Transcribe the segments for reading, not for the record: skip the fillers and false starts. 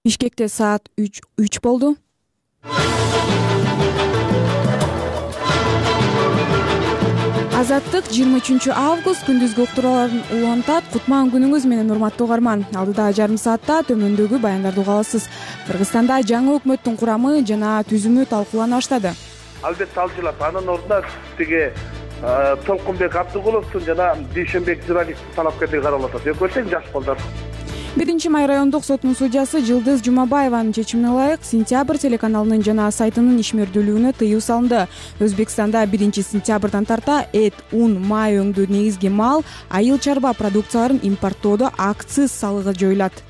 Бишкекте саат 3 болду. Азаттык 23 август күндүзгү уктурууларын улантат. Кутман күнүңүз менен урматтуу угарман. Алдыдагы жарым саатта төмөндөгү баяндарды уга аласыз. Кыргызстанда жаңы өкмөттүн курамы жана түзүмү талкуулана баштады. Албетте ал жылап анын ордуна тиги Толкунбек Абдыгуловдун жана Дүйшөнбек Зыралиевдин талапкерлиги каралып атат. Экөө тең жаш балдар. 1-май райондук сотунун судьясы Жылдыз Жумабаеванын чечимине ылайык Сентябрь телеканалынын жана сайтынын ишмердүүлүгүнө тыюу салынды. Өзбекстанда 1-сентябрдан тарта эт, ун, май өңдүү негизги мал, айыл чарба продукцияларын импорттоодо акциз салыгы жоюлат.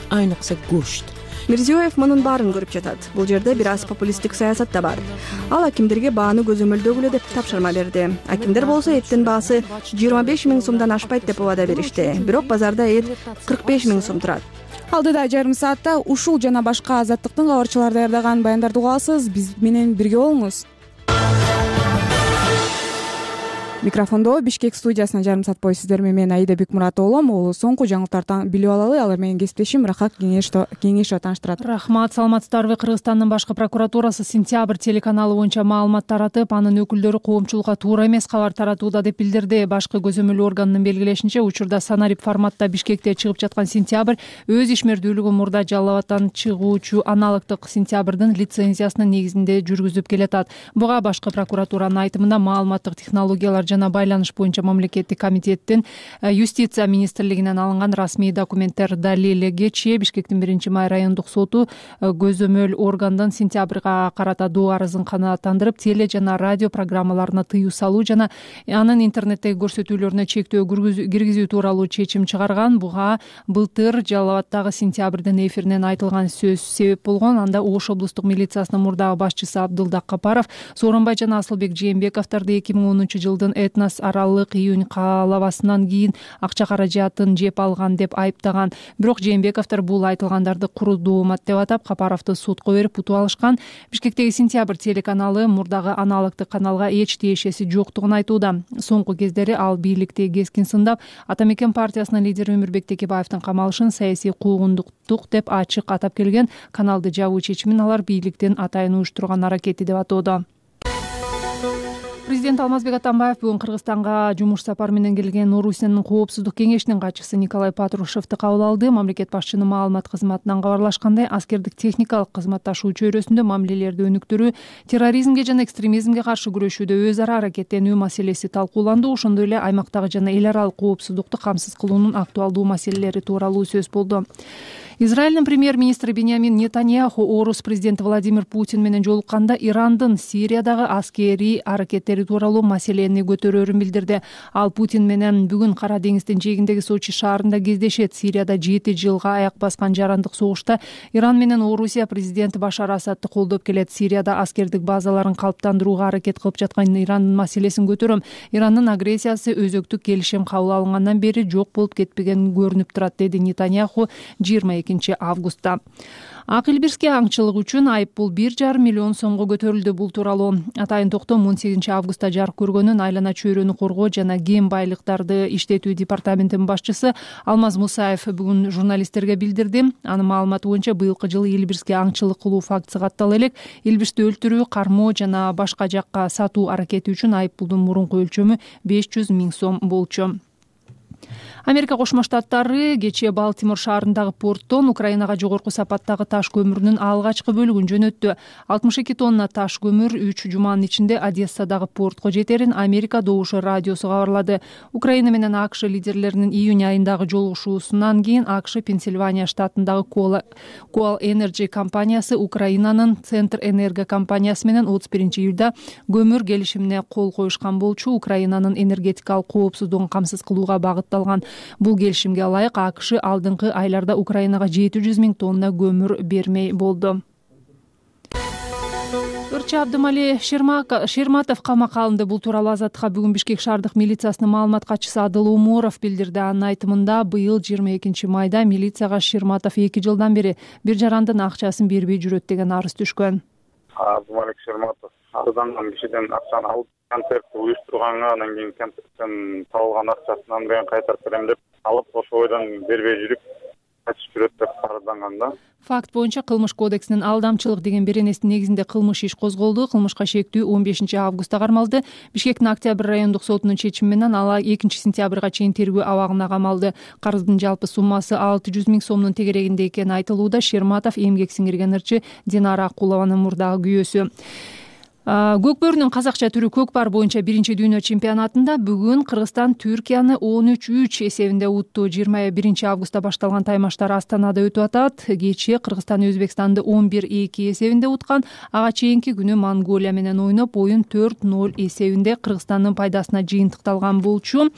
Айныкса гөшт. Мирзиёев мунун баарын көрүп жатат. Бул жерде бир аз популисттик саясат да бар. Ал акимдерге бааны көзөмөлдөгүлө деп тапшырма берди. Акимдер болсо эттин баасы 25 000 сомдон ашпайт деп убада беришти. Бирок базарда эт 45 000 сом турат. Алдыда жарым саатта ушул жана башка азаттыктын кабарчылары даярдаган баяндарды уга аласыз. Биз менен бирге болуңуз. Микрофондо Бишкек студиясына жарым саат бою сиздер менен Аида Бекмуратова болом. Соңку жаңылыктарды билип алалы. Алар менен кесиптешим Рахат Кеңешова тааныштырат. Рахмат, саламатсыздарбы? Кыргызстандын башкы прокуратурасы Сентябрь телеканалы боюнча маалымат таратып, анын өкүлдөрү коомчулукка туура эмес кабар таратууда деп билдирди. Башкы көзөмөлүү органынын белгилешинче, учурда санарип форматта Бишкекте чыгып жаткан Сентябрь өз ишмердүүлүгүн мурда Жалал Абадтан чыгуучу аналогдук Сентябрдын лицензиясынын негизинде жүргүзүп келатат. Буга башкы прокуратуранын айтымында маалыматтык технологиялар жана байланыш боюнча мамлекеттик комитеттин юстиция министрлигинен алынган расмий документтер далилиге чейин Бишкектин 1-май райондук соту көзөмөл органдын Сентябрга карата доо арызын канааттандырып, теле жана радио программаларына тыюу салуу жана анын интернеттеги көрсөтүүлөрүнө чектөө киргизүү тууралуу чечим чыгарган. Буга былтыр Жалал Абадтагы Сентябрдын эфиринен айтылган сөз себеп болгон. Анда Ош облустук милициясынын мурдагы башчысы Абдылдак Капаров Сооронбай жана Асылбек Жээнбековдорду 2010 этнос аралык июнь каалабасынан кийин акча каражатын жеп алган деп айыптаган. Бирок Жээнбековдор бул айтылгандарды куру доомат деп атап, Капаровду сотко берип утуп алышкан. Бишкектеги Сентябрь телеканалы мурдагы аналогдук каналга эч тиешеси жоктугун айтууда. Соңку кездери ал бийликти кескин сындап, Ата Мекен партиясынын лидери Өмүрбек Текебаевдин камалышын саясий куугундуктук деп ачык атап келген. Каналды жабуу чечимин алар бийликтин атайын уюштурган аракети деп атоодо. Президент Алмазбек Атамбаев бүгүн Кыргызстанга жумуш сапары менен келген Орусиянын коопсуздук кеңешинин катчысы Николай Патрушевду кабыл алды. Мамлекет башчынын маалымат кызматынан кабарлашкандай, аскердик техникалык кызматташуу чөйрөсүндө мамилелерди өнүктүрүү, терроризмге жана экстремизмге каршы күрөшүүдө өз ара аракеттенүү маселеси талкууланды. Ошондой эле аймактагы жана эл аралык коопсуздукту камсыз кылуунун актуалдуу маселелери тууралуу сөз болду. Израилдин премьер-министри Беньямин Нетаньяху Орус президенти Владимир Путин менен жолукканда Ирандын Сириядагы аскерий аракеттери тууралуу маселени көтөрөөрүн билдирди. Ал Путин менен бүгүн Кара деңиздин жээгиндеги Сочи шаарында кездешет. Сирияда 7 жылга аяк баскан жарандык согушта Иран менен Орусия президенти Башар Асадты колдоп келет. Сирияда аскердик базаларын калыптандырууга аракет кылып жаткан Ирандын маселесин көтөрөм. Ирандын агрессиясы өзөктүк келишим кабыл алынгандан бери жок болуп кетпеген көрүнүп турат, деди Нетаньяху 22 августта. Ак Элбирске аңчылык үчүн айыппул 1,5 миллион сомго көтөрүлдү. Бул тууралуу атайын токтом 18 августта жарык көргөнүн айлана чөйрөнү коргоо жана кен байлыктарды иштетүү департаментинин башчысы Алмаз Мусаев бүгүн журналисттерге билдирди. Анын маалыматы боюнча быйылкы жылы Элбирске аңчылык кылуу фактысы каттала элек. Элбирсти өлтүрүү, кармоо жана башка жакка сатуу аракети үчүн айыппулдун мурунку өлчөмү 500 000 сом болчу. Америка Кошмо Штаттары кечээ Балтимор шаарындагы порттон Украинага жогорку сапаттагы таш көмүрүнүн алгачкы бөлүгүн жөнөттү. 62 тонна таш көмүр 3 жуманын ичинде Одессадагы портко жетерин Америка Добушу радиосу кабарлады. Украина менен АКШ лидерлеринин июнь айындагы жолугушуусунан кийин АКШ Пенсильвания штатындагы Coal Energy компаниясы Украинанын Центр Энерго компаниясы менен 31 июлда көмүр келишимине кол коюшкан болчу. Украинанын энергетикалык коопсуздугун камсыз кылууга багытталган бул келишимге ылайык АКШ алдыңкы айларда Украинага 700 000 тонна көмүр бермей болду. Ырчы Абдымали Шерматов камакка алынды. Бул тууралуу Азаттыкка бүгүн Бишкек шаардык милициясынын маалымат катчысы Адыл Умуров билдирди. Анын айтымында быйыл 22 майда милицияга Шерматов 2 жылдан бери бир жарандын акчасын бербей жүрөт деген арыз түшкөн. Абдымали Шерматов арызданган кишиден акчаны алып концертти уюштурганга, анан кийин концерттен табылган акчасын менен кайтарып берем деп алып, ошо бойдон бербей жүрүп качып жүрөт деп арызданган да. факт боюнча кылмыш кодексинин алдамчылык деген беренесинин негизинде кылмыш иш козголду. Кылмышка шектүү 15 августта кармалды. Бишкектин Октябрь райондук сотунун чечими менен ала 2 сентябрга чейин тергөө абагына камалды. Карыздын жалпы суммасы 600 000 сомдун тегерегинде экени айтылууда. Шерматов эмгек сиңирген ырчы Динара Акулованын мурдагы күйөөсү. Көкбөрүнүн казакча түрү көкпар боюнча 1-дүйнө чемпионатында бүгүн Кыргызстан Түркияны 13-3 эсебинде утту. 21 августта башталган таймаштар Астанада өтүп атат. Кечээ Кыргызстан Өзбекстанды 11-2 эсебинде уткан. Ага чейинки күнү Монголия менен ойноп, оюн 4-0 эсебинде Кыргызстандын пайдасына жыйынтыкталган болчу.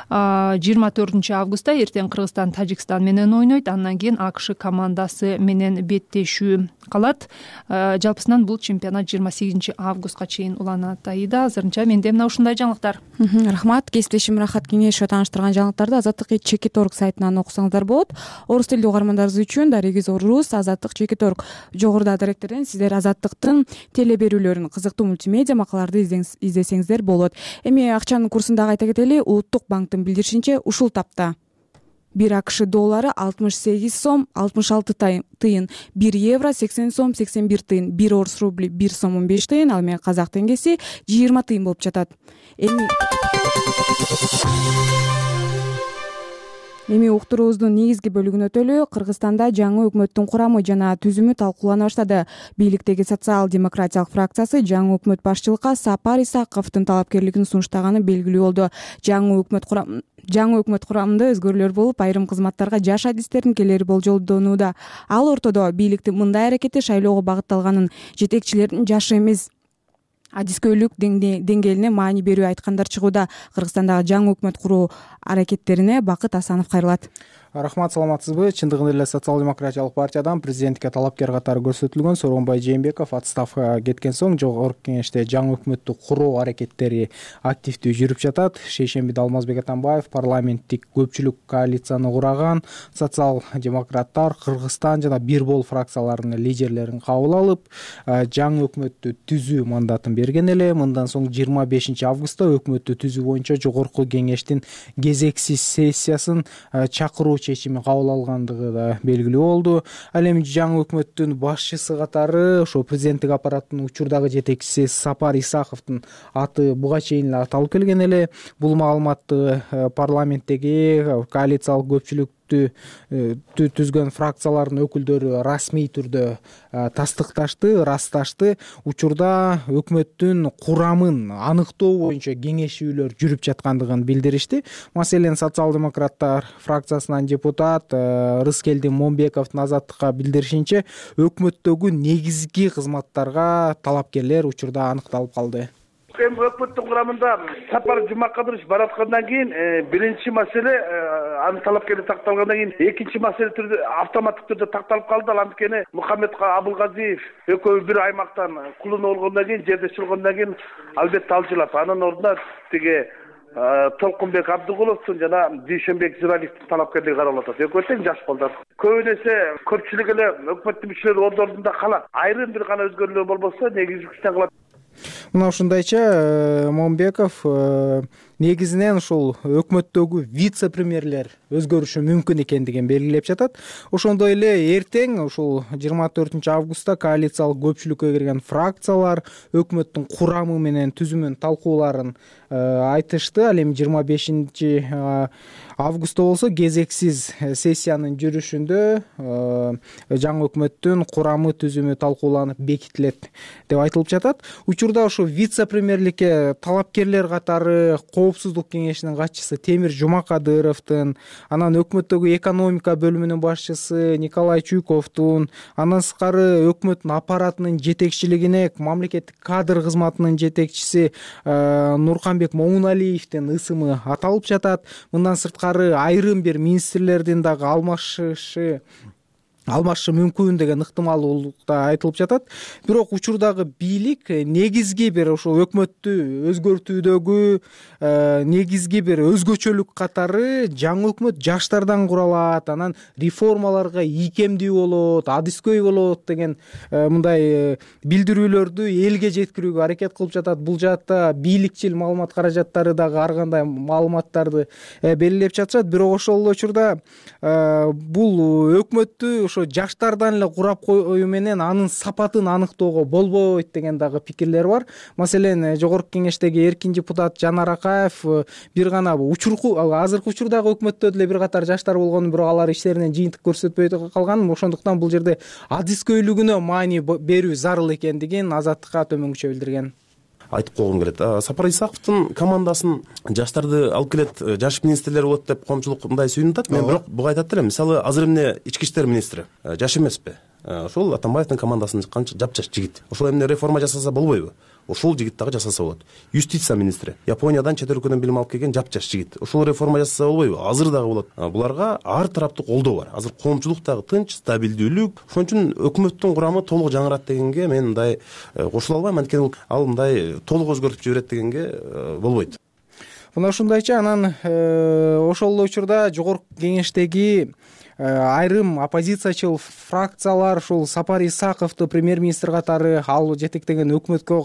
24 августта эртең Кыргызстан Тажикстан менен ойнойт. Андан кийин АКШ командасы менен беттешүү калат. Жалпысынан бул чемпионат 28 августка чейин уланат. Аида, азырынча менде мына ушундай жаңылыктар. Рахмат. Кесиптешим Рахат Кеңешова тааныштырган жаңылыктарды Азаттык Чекиторг сайтынан окусаңыздар болот. Орус тилдүү угармандарыбыз үчүн Дарегиз Орус, Азаттык Чекиторг. Жогоруда адиректерден сиздер Азаттыктын теле берүүлөрүн, кызыктуу мультимедиа макалаларды издесеңиздер болот. Эми акчанын курсун дагы айта кетели. Улуттук банктын билдиришинче ушул тапта 1 АКШ доллары 68 сом 66 тыйын, 1 евро 80 сом 81 тыйын, 1 орус рубли 1 сом 15 тыйын, ал эми казак теңгеси 20 тыйын болуп жатат. Эми уктуруубуздун негизги бөлүгүнө өтөлү. Кыргызстанда жаңы өкмөттүн курамы жана түзүмү талкуулана баштады. Бийликтеги социал-демократиялык фракциясы жаңы өкмөт башчылыкка Сапар Исаковдун талапкерлигин сунуштаганы белгилүү болду. Жаңы өкмөт курамында өзгөрүүлөр болуп, айрым кызматтарга жаш адистердин келери болжолдонууда. Ал ортодо бийликтин мындай аракети шайлоого багытталганын, жетекчилердин жашы эмес адискөйлүк деңгээлине маани берүү айткандар чыгууда. Кыргызстандагы жаңы өкмөт куруу аракеттерине Бакыт Асанов кайрылат. Рахмат, саламатсызбы? Чындыгында эле социал-демократиялык партиядан президенттикке талапкер катары көрсөтүлгөн Сооронбай Жээнбеков отставкага кеткен соң жогорку кеңеште жаңы өкмөттү куруу аракеттери активдүү жүрүп жатат. Шейшембиде Алмазбек Атамбаев парламенттик көпчүлүк коалицияны кураган социал-демократтар, Кыргызстан жана Бир Бол фракцияларынын лидерлерин кабыл алып, жаңы өкмөттү түзүү мандатын берген эле. Мындан соң 25 августта өкмөттү түзүү боюнча жогорку кеңештин кезексиз сессиясын чакыруу чечими кабыл алгандыгы да белгилүү болду. Ал эми жаңы өкмөттүн башчысы катары ошо президенттик аппараттын учурдагы жетекчиси Сапар Исаковдун аты буга чейин эле аталып келген эле. Бул маалыматты парламенттеги коалициялык көпчүлүк түзгөн фракциялардын өкүлдөрү расмий түрдө ырасташты. Учурда өкмөттүн курамын аныктоо боюнча кеңешүүлөр жүрүп жаткандыгын билдиришти. Маселен, социал-демократтар фракциясынан депутат Рыскелдин Момбековдун Азаттыкка билдиришинче, өкмөттөгү негизги кызматтарга талапкерлер учурда анықталып калды. Өкмөттүн курамында Сапар Жумакадырович бараткандан кийин биринчи маселе анын талапкерлиги такталгандан кийин экинчи маселе түрдө автоматтык түрдө такталып калды. Ал анткени Мухаммед Абылгазиев экөө бир аймактан кулунуп болгондон кийин, жерде чылгондон кийин албетте алжылап, анын ордуна тиги Толкунбек Абдыгуловдун жана Дүйшөнбек Зиралиевдин талапкерлиги каралып атат. Экөө тең жаш балдар. Көбүнесе көпчүлүк эле өкмөттүн мүчөлөрү ордорунда калат. Айрым бир гана өзгөрүүлөр болбосо негизги күчтөн калат. Мына ушундайча Момбеков негизинен ушул өкмөттөгү вице-премьерлер өзгөрүшү мүмкүн экендигин белгилеп жатат. Ошондой эле эртең ушул 24 августта коалициялык көпчүлүккө кирген фракциялар өкмөттүн курамы менен түзүмүн талкууларын айтышты. Ал эми 25 августта болсо кезексиз сессиянын жүрүшүндө жаңы өкмөттүн курамы түзүмү талкууланып бекитилет деп айтылып жатат. Учурда ошо вице-премьерликке талапкерлер катары Коопсуздук кеңешинин катчысы Темир Жумакадыровдун, анан өкмөттөгү экономика бөлүмүнүн башчысы Николай Чуйковдун, андан сырткары өкмөттүн аппаратынын жетекчилигине мамлекеттик кадр кызматынын жетекчиси Нурканбек Момуналиевдин ысымы аталып жатат. Мындан сырткары айрым бир министрлердин дагы алмашышы мүмкүн деген ыктымалдуулук да айтылып жатат. Бирок учурдагы бийлик негизги бир ошо өкмөттү өзгөртүүдөгү негизги бир өзгөчөлүк катары жаңы өкмөт жаштардан куралат, анан реформаларга ийкемдүү болот, адискөй болот деген мындай билдирүүлөрдү элге жеткирүүгө аракет кылып жатат. Бул жаатта бийликчил маалымат каражаттары дагы ар кандай маалыматтарды белгилеп жатышат. Бирок ошол эле учурда бул өкмөттү ошо жаштардан эле курап коюу менен анын сапатын аныктоого болбойт деген дагы пикирлер бар. Маселен, жогорку кеңештеги эркин депутат Жанар Акаев бир гана азыркы учурдагы өкмөттө деле бир катар жаштар болгонун, бирок алар иштеринен жыйынтык көрсөтпөй калганын, ошондуктан бул жерде адискөйлүгүнө маани берүү зарыл экендигин Азаттыкка төмөнкүчө билдирген. Айтып койгум келет. Сапар Исаковдун командасын жаштарды алып келет, жаш министрлер болот деп коомчулук мындай сүйүнүп атат. Мен бирок буга айтат элем. Мисалы, азыр эмне ички иштер министри жаш эмеспи? Ошол Атамбаевдин командасынын канча жапжаш жигит. Ошол эмне реформа жасаса болбойбу? Ошол жигит дагы жасаса болот. Юстиция министри Япониядан чет өлкөдөн билим алып келген жапжаш жигит. Ошол реформа жасаса болбойбу? Азыр дагы болот. Буларга ар тараптуу колдоо бар. Азыр коомчулук дагы тынч, стабилдүүлүк. Ошон үчүн өкмөттүн курамы толук жаңырат дегенге мен мындай кошула албайм. Анткени ал мындай толук өзгөртүп жиберет дегенге болбойт. Мына ушундайча, анан ошол учурда жогорку кеңештеги айрым оппозициячыл фракциялар ушул Сапар Исаковду премьер-министр катары ал жетектеген өкмөткө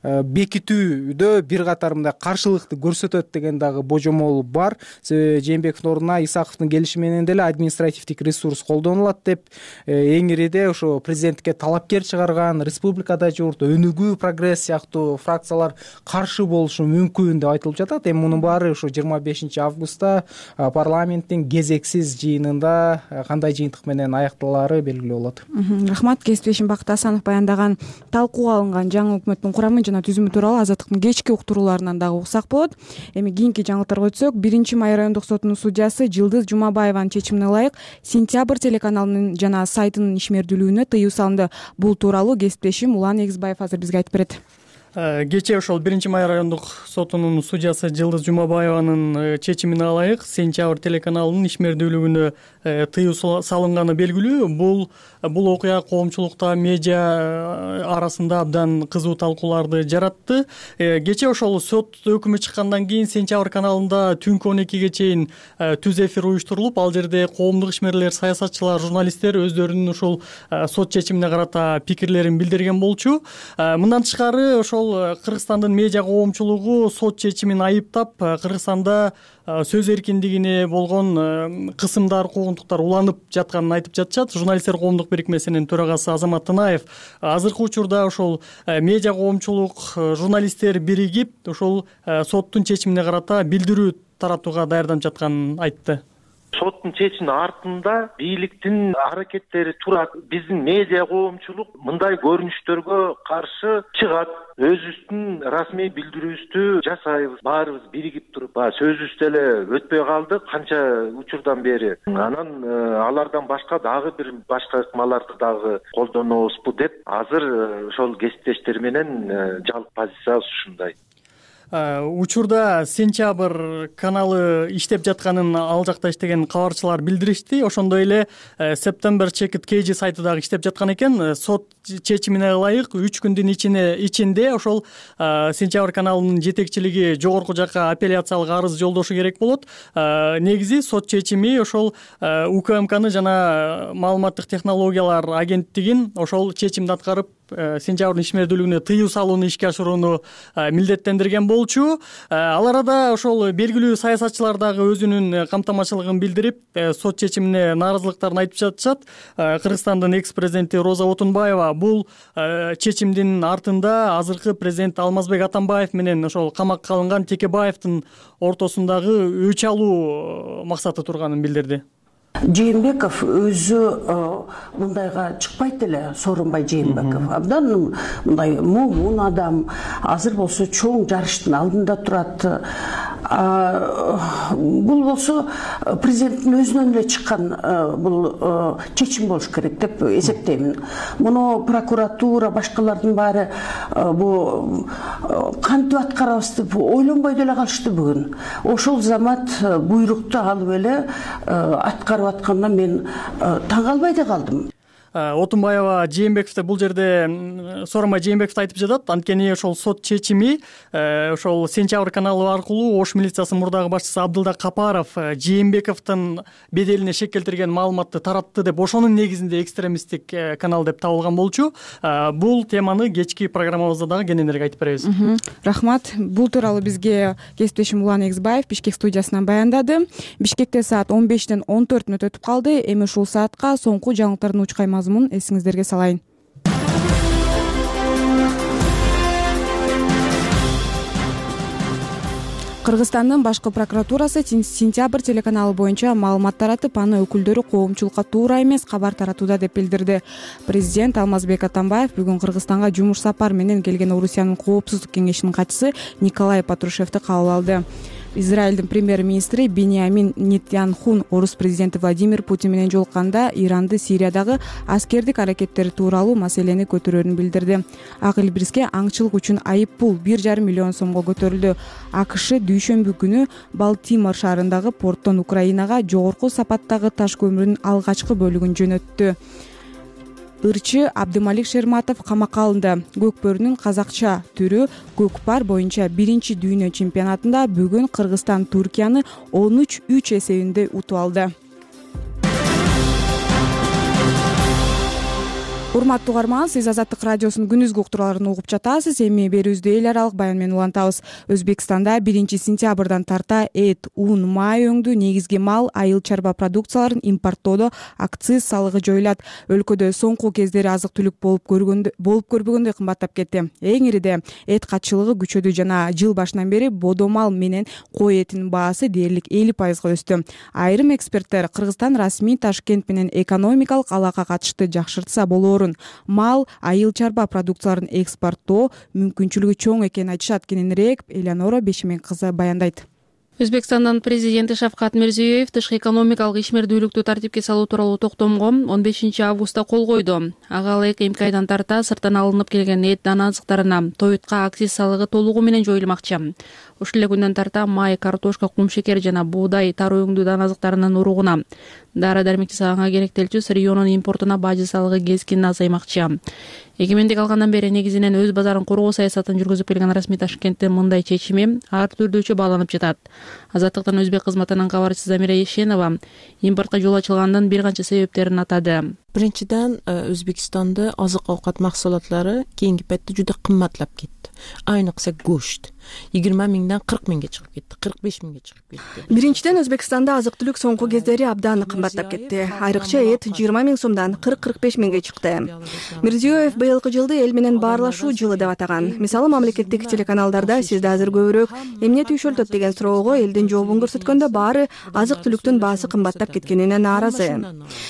бекитүүдө бир катар мындай каршылыкты көрсөтөт деген дагы божомол бар. Себеби Жээнбековдун ордуна Исаковдун келиши менен деле административдик ресурс колдонулат деп эң ириде ошо президентке талапкер чыгарган Республикада журт, Өнүгүү, Прогресс сыяктуу фракциялар каршы болушу мүмкүн деп айтылып жатат. Эми мунун баары ушу 25 августта парламенттин кезексиз жыйынында кандай жыйынтык менен аякталаары белгилүү болот. Рахмат. Кесиптешим Бакыт Асанов баяндаган талкууга алынган жаңы өкмөттүн курамы жана түзүмү тууралуу Азаттыктын кечки уктурууларынан дагы уксак болот. Эми кийинки жаңылыктарга өтсөк, 1-Май райондук сотунун судьясы Жылдыз Жумабаеванын чечимине ылайык Сентябрь телеканалынын жана сайтынын ишмердүүлүгүнө тыюу салынды. Бул тууралуу кесиптешим Улан Эгизбаев азыр бизге айтып берет. Кечээ ошол 1-Май райондук сотунун судьясы Жылдыз Жумабаеванын чечимине ылайык Сентябрь телеканалынын ишмердүүлүгүнө тыюу салынганы белгилүү. Бул окуя коомчулукта, медиа арасында абдан кызуу талкууларды жаратты. Кечээ ошол сот өкүмү чыккандан кийин Сентябрь каналында түнкү 12ге чейин түз эфир уюштурулуп, ал жерде коомдук ишмерлер, саясатчылар, журналисттер өздөрүнүн ушул сот чечимине карата пикирлерин билдирген болчу. Мындан тышкары ошол Кыргызстандын медиа коомчулугу сот чечимин айыптап, Кыргызстанда сөз эркиндигине болгон кысымдар, куугунтуктар уланып жатканын айтып жатышат. Журналисттер коомдук бирикмесинин төрагасы Азамат Танаев азыркы учурда ошол медиа коомчулук, журналисттер биригип, ошол соттун чечимине карата билдирүү таратууга даярданып жатканын айтты. Соттун чечиминин артында бийликтин аракеттери турат. Биздин медиа коомчулук мындай көрүнүштөргө каршы чыгат. Өзүбүздүн расмий билдирүүбүздү жасайбыз. Баарыбыз биригип туруп, сөзүбүз эле өтпөй калды канча учурдан бери. Анан алардан башка дагы бир башка ыкмаларды дагы колдонобузбу деп азыр ошол кесиптештер менен жалпы позициябыз ушундай. Учурда Сентябрь каналы иштеп жатканын ал жакта иштеген кабарчылар билдиришти. Ошондой эле September Checked KG сайты дагы иштеп жаткан экен. Сот чечимине ылайык 3 күндүн ичинде ошол Сентябрь каналынын жетекчилиги жогорку жакка апелляциялык арыз жолдошу керек болот. Негизи сот чечими ошол УКМКны жана маалыматтык технологиялар агенттигин ошол чечимди аткарып Сентябрдын ишмердүүлүгүнө тыюу салууну ишке ашырууну милдеттендирген болчу. Ал арада ошол белгилүү саясатчылар дагы өзүнүн камтамачылыгын билдирип, сот чечимине нааразылыктарын айтып жатышат. Кыргызстандын экс-президенти Роза Отунбаева бул чечимдин артында азыркы президент Алмазбек Атамбаев менен ошол камакка алынган Текебаевдин ортосундагы өч алуу максаты турганын билдирди. Жээнбеков өзү мындайга чыкпайт эле, Сооронбай Жээнбеков. Абдан мындай момун адам, азыр болсо чоң жарыштын алдында турат. Бул болсо президенттин өзүнөн эле чыккан бул чечим болуш керек деп эсептеймин. Муну прокуратура, башкалардын баары бул кантип аткарабыз деп ойлонбой деле калышты бүгүн. Ошол замат буйрукту алып эле аткарып аткандан мен таң калбай да калдым. Отунбаева Жээнбековду бул жерде Сооронбай Жээнбековду айтып жатат. Анткени ошол сот чечими ошол Сентябрь каналы аркылуу Ош милициясынын мурдагы башчысы Абдылда Капаров Жээнбековдун беделине шек келтирген маалыматты таратты деп, ошонун негизинде экстремисттик канал деп табылган болчу. Бул теманы кечки программабызда дагы кененирээк айтып беребиз. Рахмат. Бул тууралуу бизге кесиптешим Улан Эгизбаев Бишкек студиясынан баяндады. Бишкекте саат 15-тен 14 мүнөт өтүп калды. Эми ушул саатка соңку жаңылыктардын учкай мазмунун эсиңиздерге салайын. Кыргызстандын башкы прокуратурасы Сентябрь телеканалы боюнча маалымат таратып, аны өкүлдөрү коомчулукка туура эмес кабар таратууда деп билдирди. Президент Алмазбек Атамбаев бүгүн Кыргызстанга жумуш сапар менен келген Орусиянын коопсуздук кеңешинин катчысы Николай Патрушевди кабыл алды. Израилдин премьер-министри Биньямин Нетаньяху орус президенти Владимир Путин менен жолукканда Иранды Сириядагы аскердик аракеттери тууралуу маселени көтөрөөрүн билдирди. Ак Илбириске аңчылык үчүн айып пул 1,5 миллион сомго көтөрүлдү. АКШ дүйшөмбү күнү Балтимор шаарындагы порттон Украинага жогорку сапаттагы таш көмүрүнүн алгачкы бөлүгүн жөнөттү. Ырчы Абдымалик Шерматов камакка алынды. Көкбөрүнүн казакча түрү көкпар боюнча 1-дүйнө чемпионатында бүгүн Кыргызстан Туркияны 13-3 эсебинде утуп алды. Урматтуу угарман, сиз Азаттык радиосунун күндүзгү уктурууларын угуп жатасыз. Эми берүүбүздү эл аралык баян менен улантабыз. Өзбекстанда 1-сентябрдан тарта эт, ун, май өңдүү негизги мал, айыл чарба продукцияларын импорттоодо акциз салыгы жоюлат. Өлкөдө соңку кездери азык-түлүк болуп көрбөгөндөй кымбаттап кетти. Эң ириде эт катчылыгы күчөдү жана жыл башынан бери бодомал менен кой этинин баасы дээрлик 50% өстү. Айрым эксперттер Кыргызстан расмий Ташкент менен экономикалык алака катышты жакшыртса болоорун, мал, айыл чарба продукцияларын экспорттоо мүмкүнчүлүгү чоң экенин айтышат. Кененирээк Элеонора Бешемен кызы баяндайт. Өзбекстандын президенти Шавкат Мирзиёев тышкы экономикалык ишмердүүлүктү тартипке салуу тууралуу токтомго 15 августта кол койду. Ага ылайык эмки айдан тарта сырттан алынып келген эт дана азыктарына тоютка акциз салыгы толугу менен жоюлмакчы. Ушул эле күндөн тарта май, картошка, кум шекер жана буудай, тары өңдүү дана азыктарынын уругуна, дары-дармек жасаганга керектелчү сырьёнун импортуна бажы салыгы кескин азаймакчы. Эгемендик алгандан бери негизинен өз базарын коргоо саясатын жүргүзүп келген расмий Ташкенттин мындай чечими ар түрдүүчө бааланып жатат. Азаттыктын өзбек кызматынын кабарчысы Замира Ешенова импортко жол ачылгандын бир канча себептерин атады. Биринчиден, Өзбекстанда азык-аукат максулатлары кийинки петте жуда кымбатлап кетти. Айныкса go'sht 20 миңден 40 миңге чыгып кетти, 45 миңге чыгып кетти. Биринчиден, Өзбекстанда азык-түлүк соңку кездери абдан кымбаттап кетти. Айрыкча эт 20 миң сомдон 40-45 миңге чыкты. Мирзиёев быйылкы жылды эл менен баарлашуу жылы деп атаган. Мисалы, мамлекеттик телеканалдарда сизди азыр көбүрөөк эмне түйшөлтөт деген суроого элдин жообун көрсөткөндө баары азык-түлүктүн баасы кымбаттап кеткенине нааразы.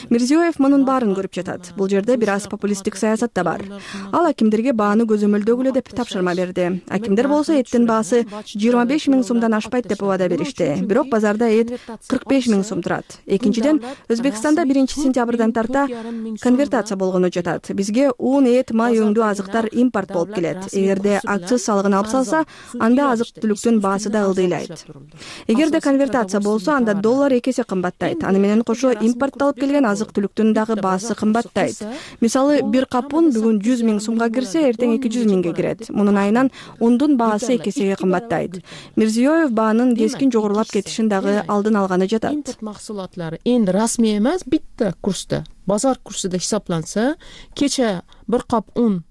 Мирзиёев мунун баарын көрүп жатат. Бул жерде бир аз популисттик саясат да бар. Ал акимдерге бааны көзөмөлдөгүлө деп тапшырма берди. Акимдер болсо эттин баасы 25 миң сомдон ашпайт деп убада беришти. Бирок базарда эт 45 миң сом турат. Экинчиден, Өзбекстанда 1-сентябрдан тарта конвертация болгону жатат. Бизге ун, эт, май өңдүү азыктар импорт болуп келет. Эгерде акциз салыгын алып салса, анда азык-түлүктүн баасы да ылдыйлайт. Эгерде конвертация болсо, анда доллар 2 эсе кымбаттайт. Аны менен кошо импортталып келген азык-түлүктүн дагы баасы кымбаттайт. Мисалы, бир кап ун бүгүн 100 миң сомго кирсе, эртең 200 миңге кирет. Мунун айынан ундун баасы 2 эсеге кымбаттайт. Мирзиёев баанын кескин жогорулап кетишин дагы алдын алганы жатат. Импорт максулатлары энди расмий эмес, битте курста, базар курсуда хисапланса, кече бир кап ун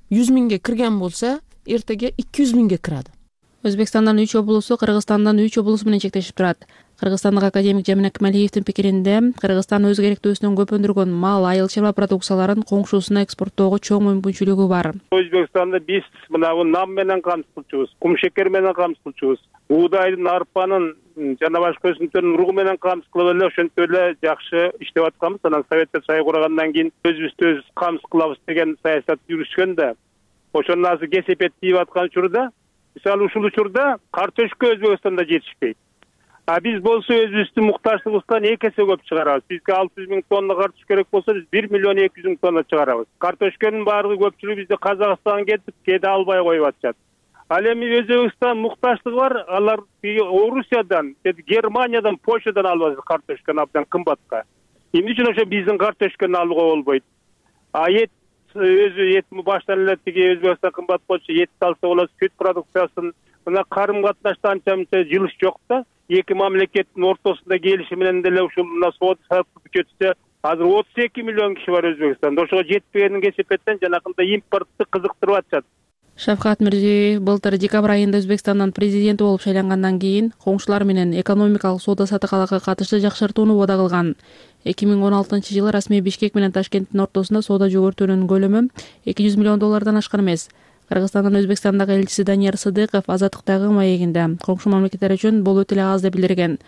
100 миңге кирген болсо, эртеге 200 миңге кирadi. Өзбекстандын 3 облусу Кыргызстандын 3 облусу менен чектешип турат. Кыргызстандык академик Жамин Акмалиевдин пикиринде, Кыргызстан өз керектөөсүнөн көп өндүргөн мал, айыл чарба продукцияларын коңшусуна экспорттоого чоң мүмкүнчүлүгү бар. Өзбекстанда биз мына нам менен камсыз кылчубуз, кум шекер менен камсыз кылчубуз, буудайдын, арпанын жана башка өсүмдүктөрдүн уругу менен камсыз кылып эле ошентип эле жакшы иштеп атканбыз. Анан Советтер Союз кургандан кийин өзүбүздү өз камсыз кылабыз деген саясат жүрүшкөн да, ошонун азыр кесепет тийип аткан учурда, мисалы ушул учурда картошка Өзбекстанда жетишпейт. А биз болсо өзүбүздүн муктажчылыгыбыздан 2 эсе көп чыгарабыз. Бизге 600 миң тонна картош керек болсо, биз 1 миллион 200 миң тонна чыгарабыз. Картошканын баардыгы көпчүлүгү бизде Казакстанга кетип, кээде албай коюп атышат. Ал эми Өзбекстан муктажчылыгы бар, алар Орусиядан, Германиядан, Польшадан алып атат картошканы абдан кымбатка. Эмне үчүн ошо биздин картошканы алууга болбойт? эт өзү эт баштан эле тиги Өзбекстан кымбат болчу, этти алса болот, сүт продукциясын. Мына карым катнашта анча жылыш жок да. Эки мамлекеттин ортосунда келишим менен деле ушул мына соода саттык бүтүтсө, азыр 32 миллион киши бар Өзбекстанда. Ошого жетпегенин кесепеттен жанакындай импортты кызыктырып атышат. Шавкат Мирзиёев былтыр декабрь айында Өзбекстандын президенти болуп шайлангандан кийин коңшулар менен экономикалык соода саттыкка катыштуу жакшыртууну убада кылган. 2016-жылы расмий Бишкек менен Ташкенттин ортосунда соода жогортуунун көлөмү $200 миллион ашкан эмес. Кыргызстандын Өзбекстандагы элчиси Данияр Сыдыков Азаттыктагы маегинде коңшу мамлекеттер үчүн бул өтө эле аз деп билдирген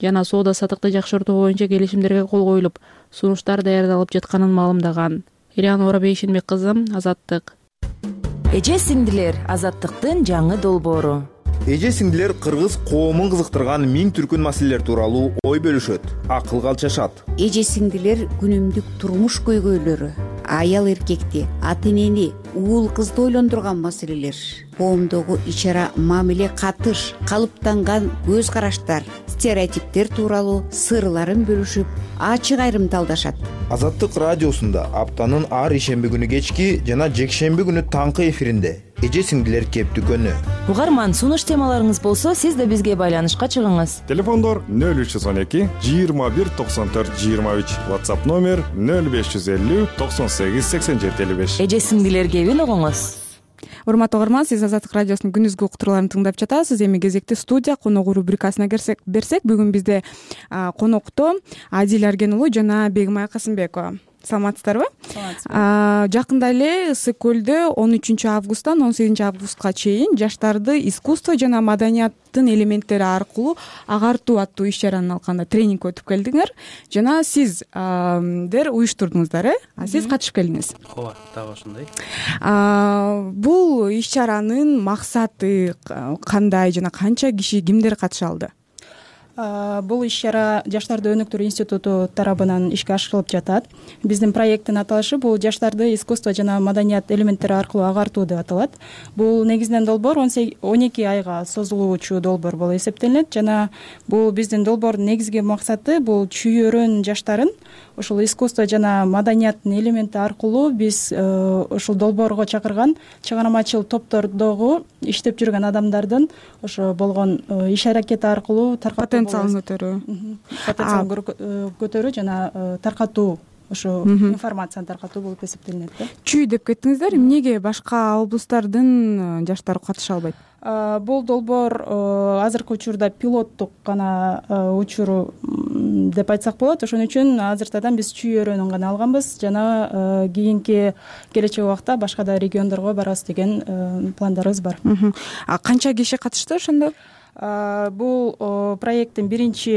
жана соода саттыкты жакшыртуу боюнча келишимдерге кол коюлуп, сунуштар даярдалып жатканын маалымдаган. Ириана Орабейшинбек кызы, Азаттык. Эже сиңдилер, Азаттыктын жаңы долбоору. Эже сиңдилер кыргыз коомун кызыктырган миң түркүн маселелер тууралуу ой бөлүшөт, акыл калчашат. Эже сиңдилер күнүмдүк турмуш көйгөйлөрү, аял эркекти, ата энени, уул кызды ойлондурган маселелер, коомдогу ичара мамиле катыш, калыптанган көз караштар, стереотиптер тууралуу сырларын бөлүшүп, ачык айрым талдашат. Азаттык радиосунда аптанын ар ишемби күнү кечки жана жекшемби күнү таңкы эфиринде эже сиңдилер кептүкөнү. Угарман, сунуш темаларыңыз болсо, сиз да бизге байланышка чыгыңыз. Телефондор 0312 21 94 23, WhatsApp номер 0550 98 87 55. Эже сиңдилер кебин угуңуз. Урматтуу угарман, сиз Азаттык радиосунун күндүзгү уктурууларын тыңдап жатасыз. Эми кезекти студия коногу рубрикасына берсек, бүгүн бизде конокто Адил Арген уулу жана Бегимай Касымбекова. Саламатсыздарбы? Жакында эле Ысык көлдө 13 августтан 18 августка чейин жаштарды искусство жана маданияттын элементтери аркылуу агартуу аттуу иш-чаранын алканда тренинг өтүп келдиңер жана сиздер уюштурдуңуздар, сиз катышып келдиңиз. Ооба, дагы ошондой. Бул иш-чаранын максаты кандай жана канча киши, кимдер катыша алды? Бул иш-чара Жаштарды өнүктүрүү институту тарабынан ишке ашырылып жатат. Биздин проекттин аталышы бул жаштарды искусство жана маданият элементтери аркылуу агартуу деп аталат. Бул негизинен долбоор 12 айга созулуучу долбоор болуп эсептелинет жана бул биздин долбоордун негизги максаты бул чүйөрөн жаштарын ушул искусство жана маданияттын элементи аркылуу биз ушул долбоорго чакырган чыгармачыл топтордогу иштеп жүргөн адамдардын ошо болгон иш-аракети аркылуу потенциалын көтөрүү жана таркатуу, ошо информацияны таркатуу болуп эсептелинет да. Чүй деп кеттиңиздер, эмнеге башка облустардын жаштары катыша албайт? Бул долбоор азыркы учурда пилоттук гана учуру деп айтсак болот. Ошон үчүн азыртадан биз чүй өрөөнүн гана алганбыз жана кийинки келечек убакта башка да региондорго барабыз деген пландарыбыз бар. Канча киши катышты ошондо? Бул проекттин биринчи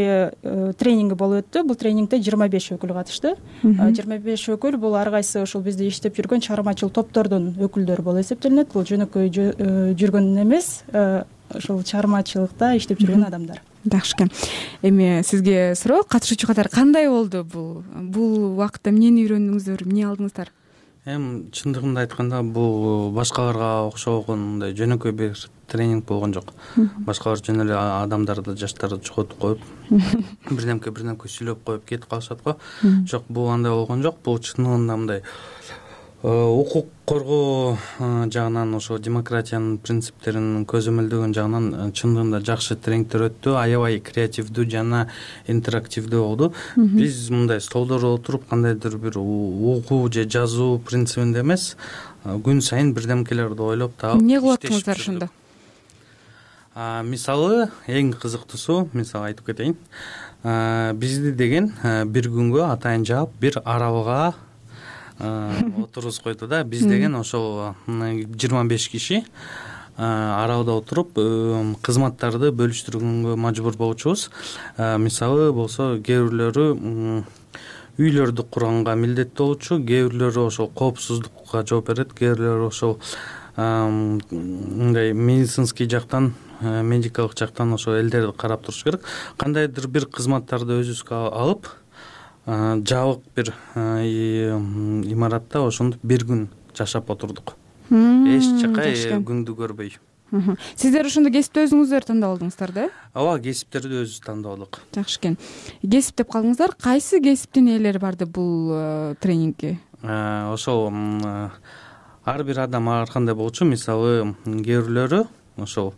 тренинги болуп өттү. Бул тренингде 25 өкүл катышты. 25 өкүл бул ар кайсы ушул бизде иштеп жүргөн чыгармачыл топтордун өкүлдөрү болуп эсептелинет. Бул жөнөкөй жүргөн эмес, ушул чыгармачылыкта иштеп жүргөн адамдар. Жакшы экен. Эми сизге суроо, катышуучу катары кандай болду бул убакытта эмнени үйрөндүңүздөр, эмне алдыңыздар? Эми чындыгында айтканда бул башкаларга окшогон мындай жөнөкөй бир тренинг болгон жок. Башкалар жөн эле адамдарды, жаштарды чогултуп коюп, бирдемке сүйлөп коюп кетип калышат го. Жок, бул андай болгон жок. Бул чындыгында мындай укук коргоо жагынан, ошо демократиянын принциптерин көзөмөлдөгөн жагынан чындыгында жакшы тренингдер өттү. Аябай креативдүү жана интерактивдүү болду. Биз мындай столдордо отуруп кандайдыр бир угуу же жазуу принцибинде эмес, күн сайын бирдемкелерди ойлоп таап эмне кылып аттыңыздар ошондо? Мисалы, эң кызыктуусу, мисалы айтып кетейин. Бизди деген бир күнгө атайын жаап бир аралга отургузуп койду да. Биз деген ошол 25 киши аралда отуруп кызматтарды бөлүштүргөнгө мажбур болчубуз. Мисалы болсо, кээ бирлөрү үйлөрдү курганга милдеттүү болчу, кээ бирлөрү ошол коопсуздукка жооп берет, кээ бирлөрү ошол мындай медицинский жактан, медикалык жактан ошо элдерди карап туруш керек. Кандайдыр бир кызматтарды өзүбүзгө алып, жабык бир имаратта ошондо бир күн жашап отурдук. Эч жакка күндү көрбөй. Сиздер ошондо кесипти өзүңүздөр тандап алдыңыздар да? Ооба, кесиптерди өзүбүз тандап алдык. Жакшы экен. Кесип деп калдыңыздар, кайсы кесиптин ээлери барды бул тренингке? ошол ар бир адам ар кандай болчу, мисалы кээ бирлөрү ошол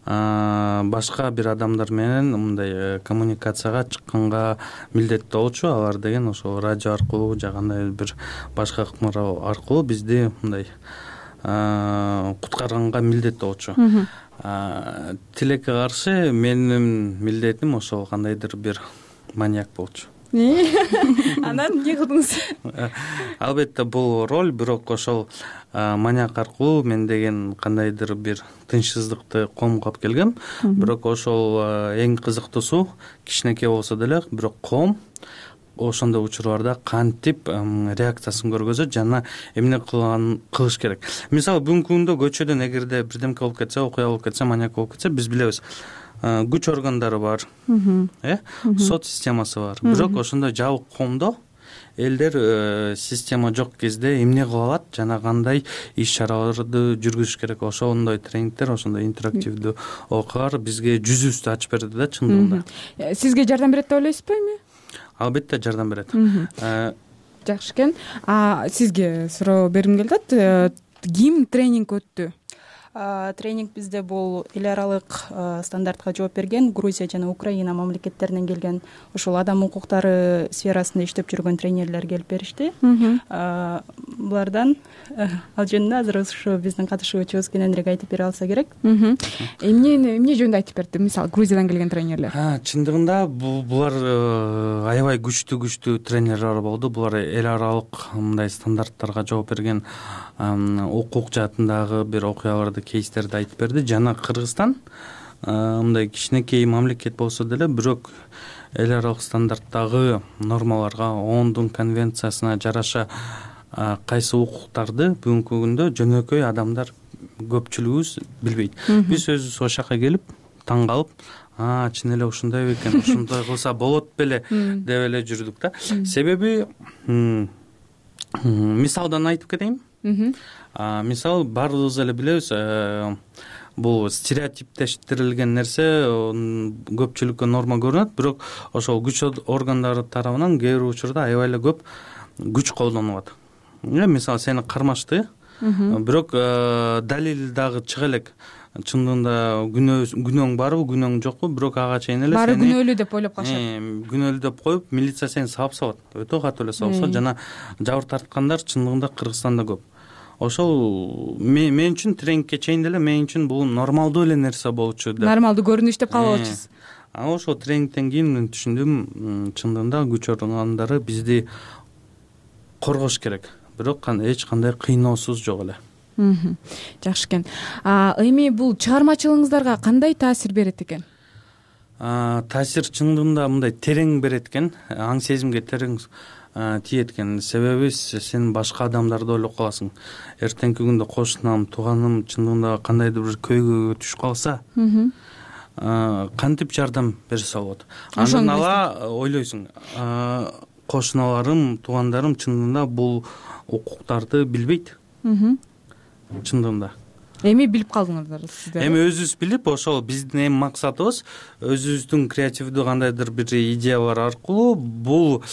башка бир адамдар менен мындай коммуникацияга чыкканга милдеттүү болчу. Алар деген ошол радио аркылуу же кандай бир башка ыкма аркылуу бизди мындай куткарганга милдеттүү болчу. Тилекке каршы менин милдетим ошол кандайдыр бир маньяк болчу. Анан эмне кылдыңыз? Албетте бул роль, бирок ошол маньяк аркылуу мен деген кандайдыр бир тынчсыздыкты коомго алып келгем. Бирок ошол эң кызыктуусу кичинекей болсо деле, бирок коом ошондой учурларда кантип реакциясын көргөзөт жана эмне кылыш керек. Мисалы бүгүнкү күндө көчөдөн эгерде бирдемке болуп кетсе, окуя болуп кетсе, маньяк болуп кетсе, биз билебиз. Күч органдары бар, сот системасы бар. Бирок ошондой жабык коомдо элдер система жок кезде эмне кыла алат жана кандай иш чараларды жүргүзүш керек. Ошондой тренингдер, ошондой интерактивдүү окуялар бизге жүзүбүздү ачып берди да чындыгында. Сизге жардам берет деп ойлойсузбу эми? Албетте жардам берет. Жакшы экен. Сизге суроо бергим келип атат. Ким тренинг өттү? Тренинг бизде бул эл аралык стандартка жооп берген Грузия жана Украина мамлекеттеринен келген ошол адам укуктары сферасында иштеп жүргөн тренерлер келип беришти. Булардан ал жөнүндө азыр ушу биздин катышуучубуз кененирээк айтып бере алса керек. Эмне жөнүндө айтып берди? Мисалы Грузиядан келген тренерлер. Чындыгында булар аябай күчтүү тренерлер болду. Булар эл аралык мындай стандарттарга жооп берген укук жаатындагы бир окуяларды, кейстерди айтып берди. Жана Кыргызстан мындай кичинекей мамлекет болсо деле, бирок эл аралык стандарттагы нормаларга, ООНдун конвенциясына жараша кайсы укуктарды бүгүнкү күндө жөнөкөй адамдар көпчүлүгүбүз билбейт. Биз өзүбүз ошол жака келип таң калып, чын эле ушундай бекен, ушундай кылса болот беле деп эле жүрдүк да. Себеби мисалдан айтып кетейин. Мисалы баарыбыз эле билебиз, бул стереотиптештирилген нерсе көпчүлүккө норма көрүнөт, бирок ошол күч органдары тарабынан кээ бир учурда аябай эле көп күч колдонулат. Мисалы сени кармашты, бирок далил дагы чыга элек. Чындыгында күнөөң барбы, күнөөң жокпу, бирок ага чейин эле баары күнөөлүү деп ойлоп калышат. Күнөөлүү деп коюп, милиция сени сабап салат. Өтө катуу эле сабап салат жана жабыр тарткандар чындыгында Кыргызстанда көп. Ошол мен үчүн тренингке чейин деле мен үчүн бул нормалдуу эле нерсе болчу деп. Нормалдуу көрүнүш деп кабыл алчусуз. Ошол тренингден кийин мен түшүндүм, чындыгында күч органдары бизди коргош керек. Бирок эч кандай кыйноосуз жок эле. Жакшы экен. Эми бул чыгармачылыгыңыздарга кандай таасир берет экен? Таасир чындыгында мындай терең берет экен, аң сезимге терең тиет экен. Себеби сен башка адамдарды ойлоп каласың. Эртеңки күндө кошунам, тууганым чындыгында кандайдыр бир көйгөйгө түшүп калса, кантип жардам берсе болот. Андан ала ойлойсуң, кошуналарым, туугандарым чындыгында бул укуктарды билбейт. Чындыгында. Эми билип калдыңыздар сиздер. Эми өзүбүз билип, ошол биздин эми максатыбыз өзүбүздүн креативдүү кандайдыр бир идеялар аркылуу бул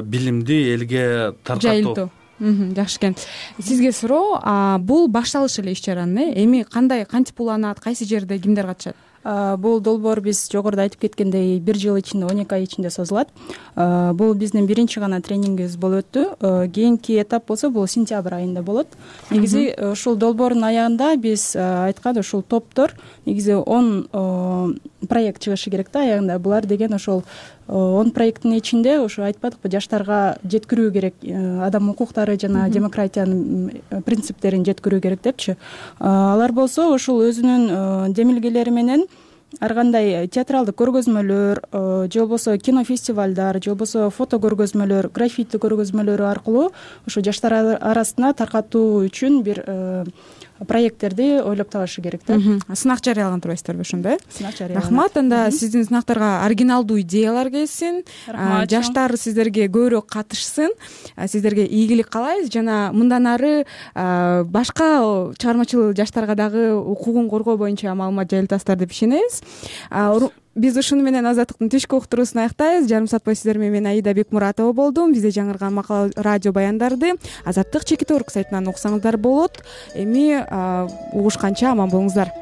билимди элге таркатуу. Жакшы экен. Сизге суроо, бул башталыш эле иш-чаранын эми кантип уланат, кайсы жерде кимдер катышат? Бул долбоор биз жогоруда айтып кеткендей 1 жыл ичинде, 12 ай ичинде созулат. Бул биздин биринчи гана тренингибиз болуп өттү. Кийинки этап болсо бул сентябрь айында болот. Негизи ушул долбоордун аягында биз айткан ушул топтор негизи 10 проект чыгышы керек да аягында. Булар деген ошол 10 проекттин ичинде ушу айтпадыкпы, жаштарга жеткирүү керек, адам укуктары жана демократиянын принциптерин жеткирүү керек депчи. Алар болсо ушул өзүнүн демилгелери менен ар кандай театралдык көргөзмөлөр же болбосо кинофестивалдар же болбосо фото көргөзмөлөр, граффити көргөзмөлөрү аркылуу ушу жаштар арасына таркатуу үчүн бир проекттерди ойлоп табышы керек да. Сынак жарыялаган турбайсыздарбы ошондо? Сынак жарыялаган. Рахмат. Анда сиздин сынактарга оригиналдуу идеялар келсин, жаштар сиздерге көбүрөөк катышсын, сиздерге ийгилик каалайбыз жана мындан ары башка чыгармачыл жаштарга дагы укугун коргоо боюнча маалымат жайылтасыздар деп ишенебиз. биз ушуну менен азаттыктын түшкү уктуруусун аяктайбыз. Жарым саат бою сиздер менен мен Аида Бекмуратова болдум. Бизде жаңырган макала радио баяндарды азаттык чекит орг сайтынан уксаңыздар болот. Эми угушканча аман болуңуздар.